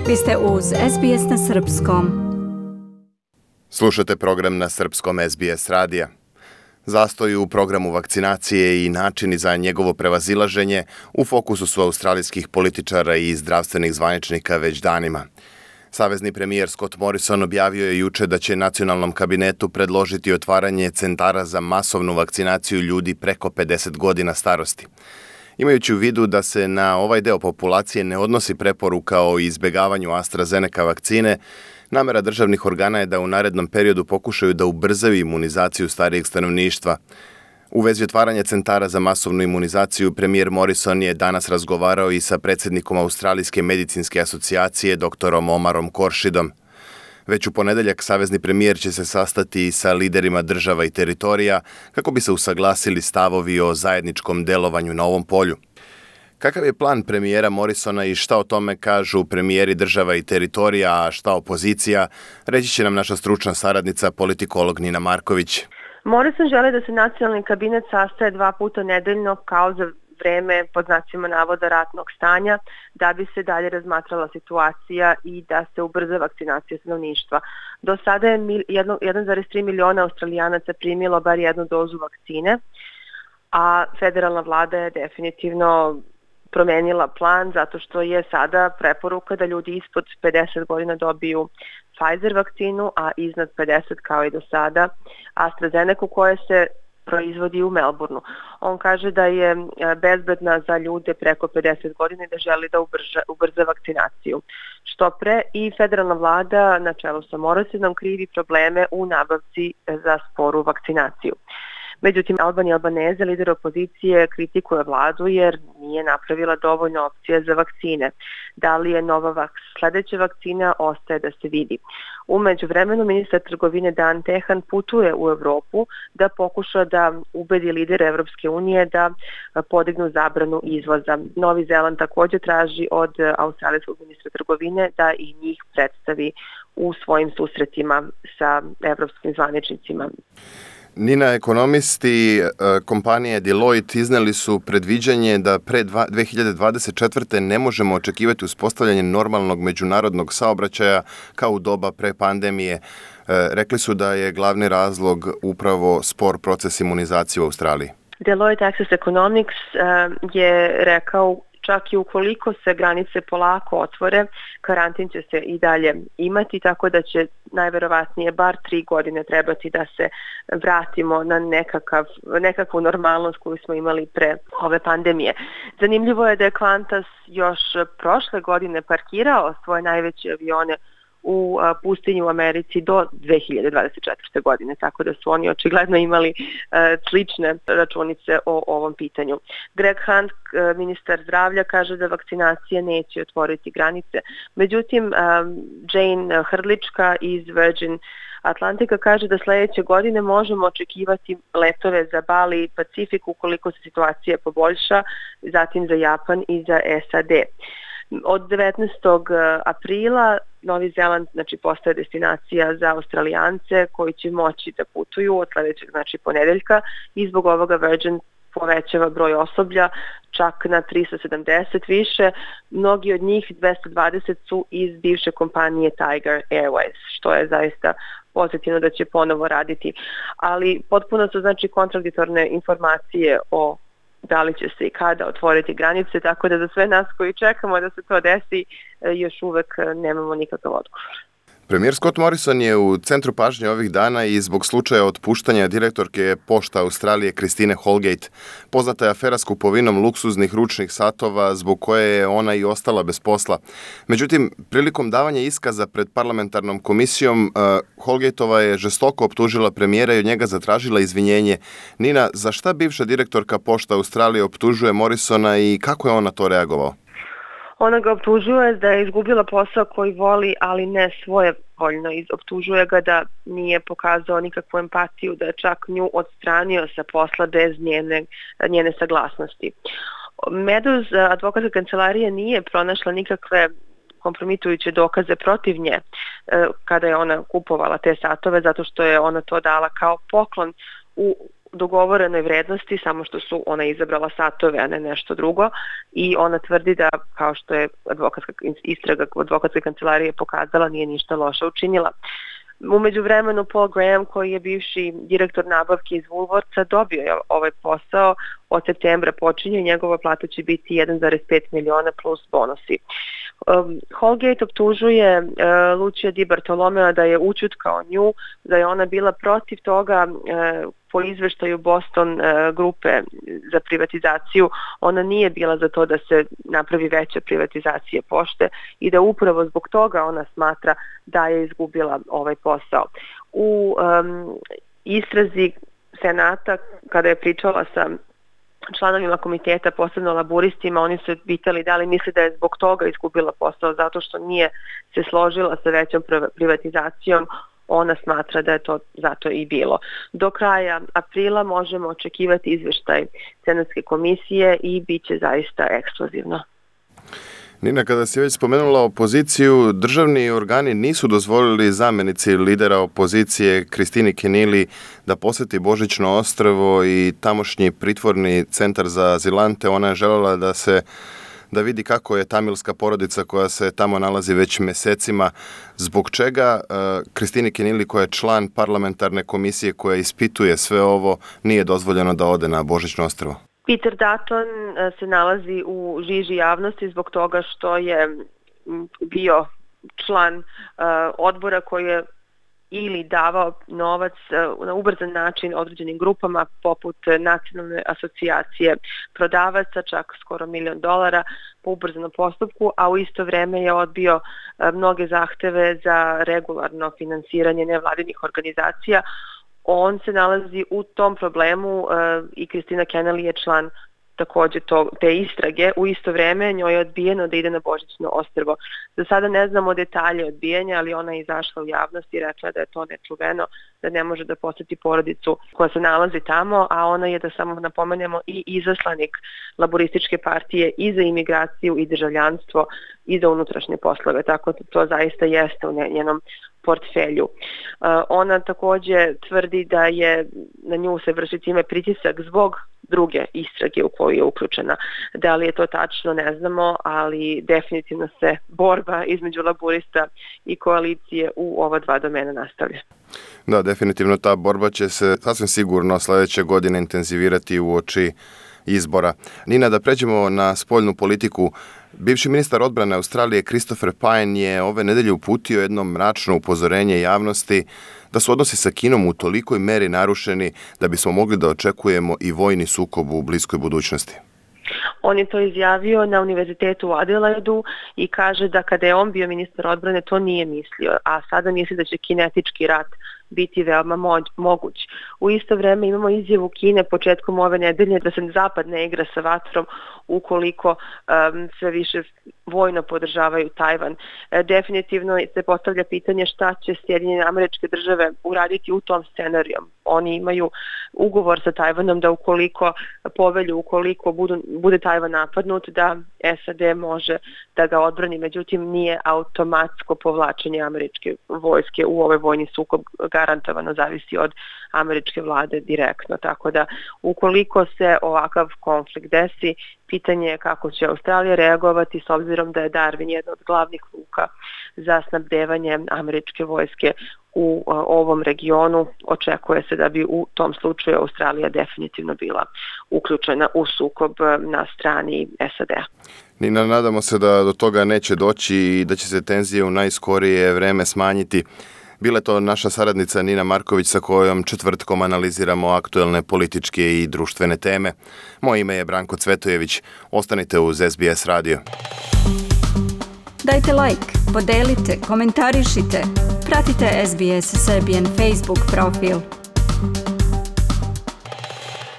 Vi ste uz SBS na Srpskom. Slušate program na Srpskom SBS radija. Zastoj u programu vakcinacije i načini za njegovo prevazilaženje u fokusu su australijskih političara i zdravstvenih zvaničnika već danima. Savezni premijer Scott Morrison objavio je juče da će nacionalnom kabinetu predložiti otvaranje centara za masovnu vakcinaciju ljudi preko 50 godina starosti. Imajući u vidu da se na ovaj deo populacije ne odnosi preporuka o izbegavanju AstraZeneca vakcine, namera državnih organa je da u narednom periodu pokušaju da ubrzaju imunizaciju starijeg stanovništva. U vezi otvaranja centara za masovnu imunizaciju, premijer Morrison je danas razgovarao i sa predsjednikom Australijske medicinske asocijacije dr. Omarom Koršidom. Već u ponedeljak savezni premijer će se sastati sa liderima država i teritorija kako bi se usaglasili stavovi o zajedničkom delovanju na ovom polju. Kakav je plan premijera Morrisona i šta o tome kažu premijeri država i teritorija, a šta opozicija, reći će nam naša stručna saradnica, politikolog Nina Marković. Morrison želi da se nacionalni kabinet sastaje 2 puta nedeljno kao za vreme, pod znacima navoda, ratnog stanja, da bi se dalje razmatrala situacija i da se ubrza vakcinacija stanovništva. Do sada je 1,3 miliona Australijanaca primilo bar jednu dozu vakcine, a federalna vlada je definitivno promenila plan zato što je sada preporuka da ljudi ispod 50 godina dobiju Pfizer vakcinu, a iznad 50 kao i do sada AstraZeneca koja se proizvodi u Melbourneu. On kaže da je bezbedna za ljude preko 50 godina i da želi da ubrza vakcinaciju. Što pre i federalna vlada na čelu sa Morrisonom krivi probleme u nabavci za sporu vakcinaciju. Međutim, Albani Albanese, lider opozicije, kritikuje vladu jer nije napravila dovoljno opcije za vakcine. Da li je nova sledeća vakcina, ostaje da se vidi. U međuvremenu, ministar trgovine Dan Tehan putuje u Evropu da pokuša da ubedi lidere Evropske unije da podignu zabranu izvoza. Novi Zeland također traži od australijskog ministra trgovine da i njih predstavi u svojim susretima sa evropskim zvaničnicima. Nina, ekonomisti kompanije Deloitte izneli su predviđanje da pre 2024. ne možemo očekivati uspostavljanje normalnog međunarodnog saobraćaja kao u doba pre pandemije. Rekli su da je glavni razlog upravo spor proces imunizacije u Australiji. Deloitte Access Economics je rekao čak i ukoliko se granice polako otvore, karantin će se i dalje imati, tako da će najverovatnije bar 3 godine trebati da se vratimo na nekakvu normalnost koju smo imali pre ove pandemije. Zanimljivo je da je Qantas još prošle godine parkirao svoje najveće avione u pustinju u Americi do 2024. godine, tako da su oni očigledno imali slične računice o ovom pitanju. Greg Hunt, ministar zdravlja, kaže da vakcinacija neće otvoriti granice. Međutim, Jane Hrdlička iz Virgin Atlantika kaže da sledeće godine možemo očekivati letove za Bali i Pacifik ukoliko se situacija poboljša, zatim za Japan i za SAD. Od 19. aprila Novi Zeland postaje destinacija za Australijance koji će moći da putuju od sledećeg ponedeljka i zbog ovoga Virgin povećava broj osoblja čak na 370 više. Mnogi od njih, 220, su iz bivše kompanije Tiger Airways, što je zaista pozitivno da će ponovo raditi. Ali potpuno su kontradiktorne informacije o da li će se i kada otvoriti granice, tako da za sve nas koji čekamo da se to desi, još uvek nemamo nikakav odgovor. Premijer Scott Morrison je u centru pažnje ovih dana i zbog slučaja otpuštanja direktorke Pošta Australije Christine Holgate. Poznata je afera s kupovinom luksuznih ručnih satova zbog koje je ona i ostala bez posla. Međutim, prilikom davanja iskaza pred parlamentarnom komisijom, Holgateova je žestoko optužila premijera i od njega zatražila izvinjenje. Nina, za šta bivša direktorka Pošta Australije optužuje Morrisona i kako je on na to reagovao? Ona ga optužuje da je izgubila posao koji voli, ali ne svojevoljno. Optužuje ga da nije pokazao nikakvu empatiju, da je čak nju odstranio sa posla bez njene saglasnosti. Meadows, advokatska kancelarija, nije pronašla nikakve kompromitujuće dokaze protiv nje kada je ona kupovala te satove, zato što je ona to dala kao poklon u dogovorenoj vrednosti, samo što su ona izabrala satove, a ne nešto drugo, i ona tvrdi da, kao što je istraga advokatske kancelarije pokazala, nije ništa loše učinila. U međuvremenu Paul Graham, koji je bivši direktor nabavke iz Woolworthsa, dobio je ovaj posao. Od septembra počinje, njegova plata će biti 1,5 miliona plus bonusi. Holgate optužuje Lucia Di Bartolomea da je ućutkao nju, da je ona bila protiv toga. Po izveštaju Boston grupe za privatizaciju, ona nije bila za to da se napravi veća privatizacija pošte i da upravo zbog toga ona smatra da je izgubila ovaj posao. U istrazi Senata, kada je pričala sa članovima komiteta, posebno laburistima, oni su pitali da li misli da je zbog toga izgubila posao, zato što nije se složila sa većom privatizacijom. Ona smatra da je to zato i bilo. Do kraja aprila možemo očekivati izveštaj Senatske komisije i bit će zaista eksplozivno. Nina, kada si već spomenula opoziciju, državni organi nisu dozvolili zamenici lidera opozicije Kristini Kenili da poseti Božićno ostrvo i tamošnji pritvorni centar za azilante. Ona je željela da vidi kako je tamilska porodica koja se tamo nalazi već mesecima. Zbog čega Kristini Kenili, koja je član parlamentarne komisije koja ispituje sve ovo, nije dozvoljeno da ode na Božićno ostrvo? Peter Dutton se nalazi u žiži javnosti zbog toga što je bio član odbora koji je ili davao novac na ubrzan način određenim grupama poput Nacionalne asocijacije prodavaca, čak skoro $1 milion po ubrzanom postupku, a u isto vreme je odbio mnoge zahteve za regularno finansiranje nevladinih organizacija. On se nalazi u tom problemu i Kristina Kenili je član takođe te istrage. U isto vreme njoj je odbijeno da ide na Božićno ostrvo. Za sada ne znamo detalje odbijanja, ali ona je izašla u javnost i rekla da je to nečuveno, da ne može da poseti porodicu koja se nalazi tamo, a ona je, da samo napomenemo, i izaslanik Laborističke partije i za imigraciju i državljanstvo i za unutrašnje poslove, tako da to zaista jeste u njenom portfelju. Ona takođe tvrdi da je na nju se vrši time pritisak zbog druge istrage u koju je uključena. Da li je to tačno, ne znamo, ali definitivno se borba između laburista i koalicije u ova dva domena nastavlja. Da, definitivno ta borba će se sasvim sigurno sledeće godine intenzivirati uoči izbora. Nina, da pređemo na spoljnu politiku. Bivši ministar odbrane Australije Christopher Pyne je ove nedelje uputio jedno mračno upozorenje javnosti da su odnosi sa Kinom u tolikoj meri narušeni da bismo mogli da očekujemo i vojni sukob u bliskoj budućnosti. On je to izjavio na univerzitetu u Adelaidu i kaže da kada je on bio ministar odbrane to nije mislio, a sada misli da će kinetički rat biti veoma moguć. U isto vreme imamo izjavu Kine početkom ove nedelje da se Zapad ne igra sa vatrom ukoliko sve više vojno podržavaju Tajvan. Definitivno se postavlja pitanje šta će Sjedinjene Američke Države uraditi u tom scenariju. Oni imaju ugovor sa Tajvanom da ukoliko bude Tajvan napadnut, da SAD može da ga odbrani, međutim nije automatsko povlačenje američke vojske u ovaj vojni sukob, garantovano zavisi od američke vlade direktno. Tako da ukoliko se ovakav konflikt desi, pitanje je kako će Australija reagovati s obzirom da je Darwin jedna od glavnih luka za snabdevanje američke vojske u ovom regionu. Očekuje se da bi u tom slučaju Australija definitivno bila uključena u sukob na strani SAD-a. Nina, nadamo se da do toga neće doći i da će se tenzije u najskorije vreme smanjiti. Bila je to naša saradnica Nina Marković sa kojom četvrtkom analiziramo aktuelne političke i društvene teme. Moje ime je Branko Cvetojević. Ostanite uz SBS radio. Dajte like, podelite, komentarišite. Pratite SBS Serbian Facebook profil.